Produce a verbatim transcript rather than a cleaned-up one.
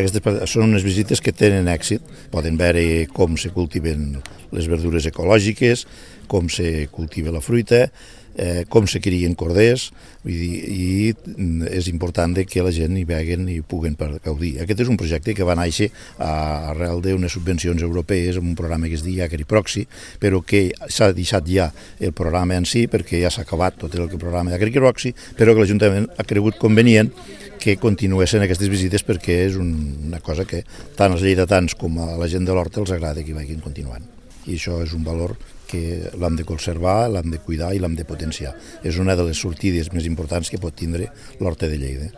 Aquestes són unes visites que tenen èxit. Poden veure com se cultiven les verdures ecològiques, com se cultiva la fruita, eh, com se crien corders, vull dir, i és important que la gent hi veguen i puguen gaudir. Aquest és un projecte que va néixer arrel d'unes subvencions europees amb un programa que es diu Agriproxy, però que s'ha deixat ja el programa en si perquè ja s'ha acabat tot el programa d'Agriproxy, però que l'Ajuntament ha cregut convenient que continuessin aquestes visites perquè és una cosa que tant als lleidatans com a la gent de l'Horta els agrada que hi vagin continuant. I això és un valor que l'hem de conservar, l'hem de cuidar i l'hem de potenciar. És una de les sortides més importants que pot tindre l'Horta de Lleida.